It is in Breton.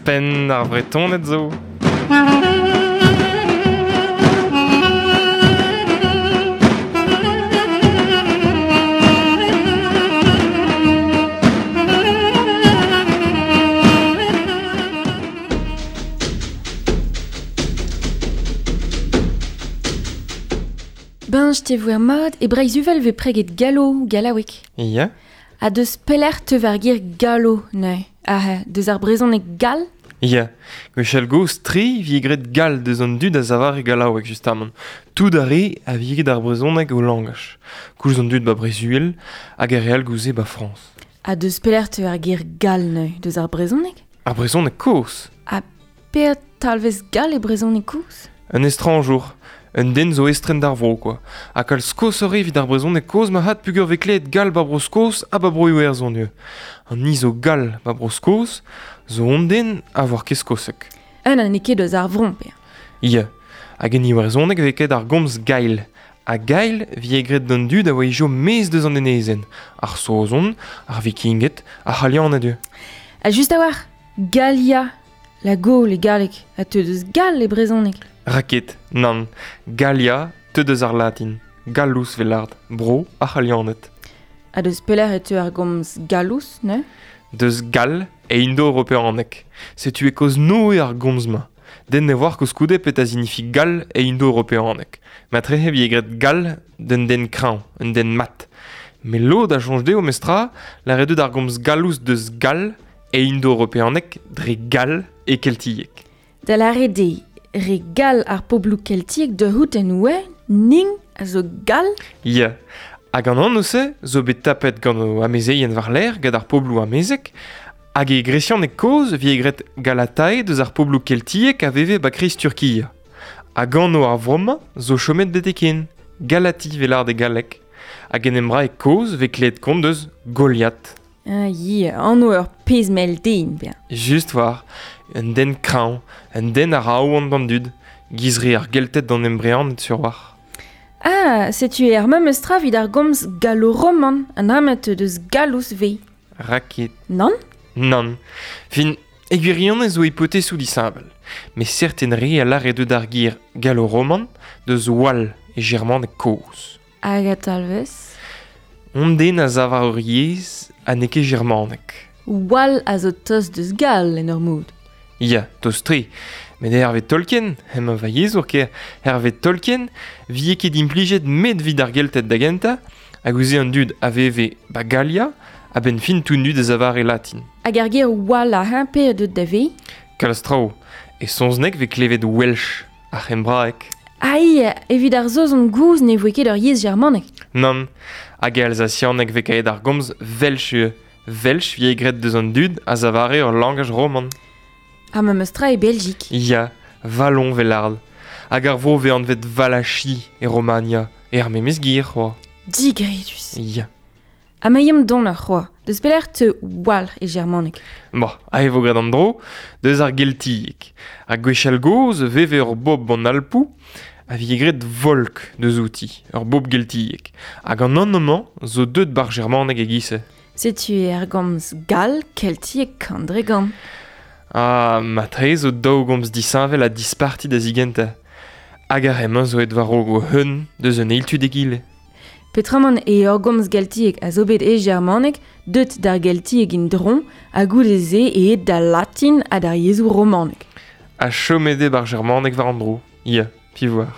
Penn ar Vretoned zo. Ben, je te voer mat, e Breizh-Uvel vez preget gallo, gallaoueg. Ya. Ha deus pelec'h teu war gir gallo, neuze. Ah, deus ar brezhoneg gall? Ya. Gwechall gozh tre vi graet gall deus an dud a zavar e gallaoueg, justamant. Tout ar re a vi graet ar brezhoneg o langaj. Koulz an dud ba Breizh-Uhel hag ar re all gouze ba Frañs. Ha deus pelec'h teu ar gir gall neuze, deus ar brezhoneg? Ar brezhoneg kozh. Ha per talvez gall e brezhoneg kozh? Un estrañjour. Un den zo estren d'ar vro, quoi. Ha kalz kozh evit ar brezhoneg kozh ma hat pugur vez klevet gall ba Bro-Skos ha ba Bro-Iwerzhon eo. An ni zo gall ba Bro-Skos zo on den a vor ket skosek. Un ha n'eo ket eus ar vron, pe. Ya. Hag en iwerzhoneg vez ket ar gomz gail. Ha gail vi graet d'an dud a oa ijo mez deus an enezenn. Ar Saozon, ar Vikinged, ar C'halianed eo. Ha just a-walc'h, Gallia, la Gaule e galleg, ha teu deus gall e brezhoneg. Raket, nann, Gallia, teu deus ar latin. Gallus velard, bro ar C'halianed. Ha deus pelec'h e teu ar gomz gallus, ne? Deus gall e indo-europeaneg. Setu e koz noe ar gomz-ma. Den ne voar koulskoude pet a zinifi gall e indo-europeaneg. Matrehe vi egret gall d'un den kreñv, un den mat. Met lod a soñj dezho mestra, lâret deut ar gomz gallus deus gall e indo-europeaneg dre gall e keltieg. Da lâret eo, re gall ar pobloù keltiek da c'hoût en oe, ning a zo gall? Ya. Hag an anv-se zo bet tapet gant o amezeien war-lerc'h gant ar pobloù amezek, hag e gresianeg kozh vi graet Galatae deus ar pobloù keltiek a veve ba kreiz Turkia. Hag anv ar vro-mañ zo chomet betek-hen, Galati 'vel lâret e galleg. Hag en embraeg kozh vez klevet kont deus Goliath. Ah, ya, anv ur pezh mell den, bezañ. Just war, un den kreñv, un den a ra aon d'an dud, giz re ar Gelted d'an embreaned sur war. Ah, setu er memes tra evit ar gomz gallo-roman, an amet deus gallus vez. Raket. Nann? Nann. Fin, e gwirionez zo hipotezoù disheñvel. Met serten re a lâre deut ar gir gallo-roman deus wall e germaneg kozh. Hag a talvez? On den a sav war ur yezh ha n'eo ket germaneg. Wall a zo tost deus gall en ur mod. Ya, tost-tre. Met hervez Tolkien, hemañ va yezhour ker, hervez Tolkien, vie ket implijet met evit ar Gelted da gentañ, hag ouzh an dud a veve ba Galia, a-benn fin tout dud a zavare latin. Hag ar ger wall a hein pe deut da ve? Kalz traoù. E saozneg vez klevet Welsh, ar c'hembraeg. Ai, evit ar Saozon gozh ne voe ket ur yezh germanek. Nann, hag e alsasianeg vez kaet ar gomz Welsh ivez. Welsh vie graet deus an dud a zavare ur langaj roman. Ha memes tra e Belgique. Ya, Vallon velard. Hag ar vro vez anvet Valachi e Romania, e ar memes gir, c'hoa. Digredus. Ya. Ha ma yem don ar c'hoa, deus pelec'h teu walc'h e germaneg. Bon, ae vo graet an dro, deus ar geltieg. Ha gwechall gozh veve ur bobl an Alpoù, a vije graet volk deus outi, ur bobl geltiek. Hag an anv-mañ zo deut bar germaneg e-giz-se. Setu er gomz gall keltiek kandregan. Ah, matre zo daou gomz disheñvel ha disparti da zigentañ. Hag ar re-mañ zo aet war-raok o hun deus un eil tu d'egile. Petramant e ur gomz geltiek a zo bet e germaneg, deut d'ar geltieg in-dron, ha goude-se e aet d'al latin ha d'ar yezhoù romanek. Ha chomet eo bar germaneg war an dro. Ya, piv oar.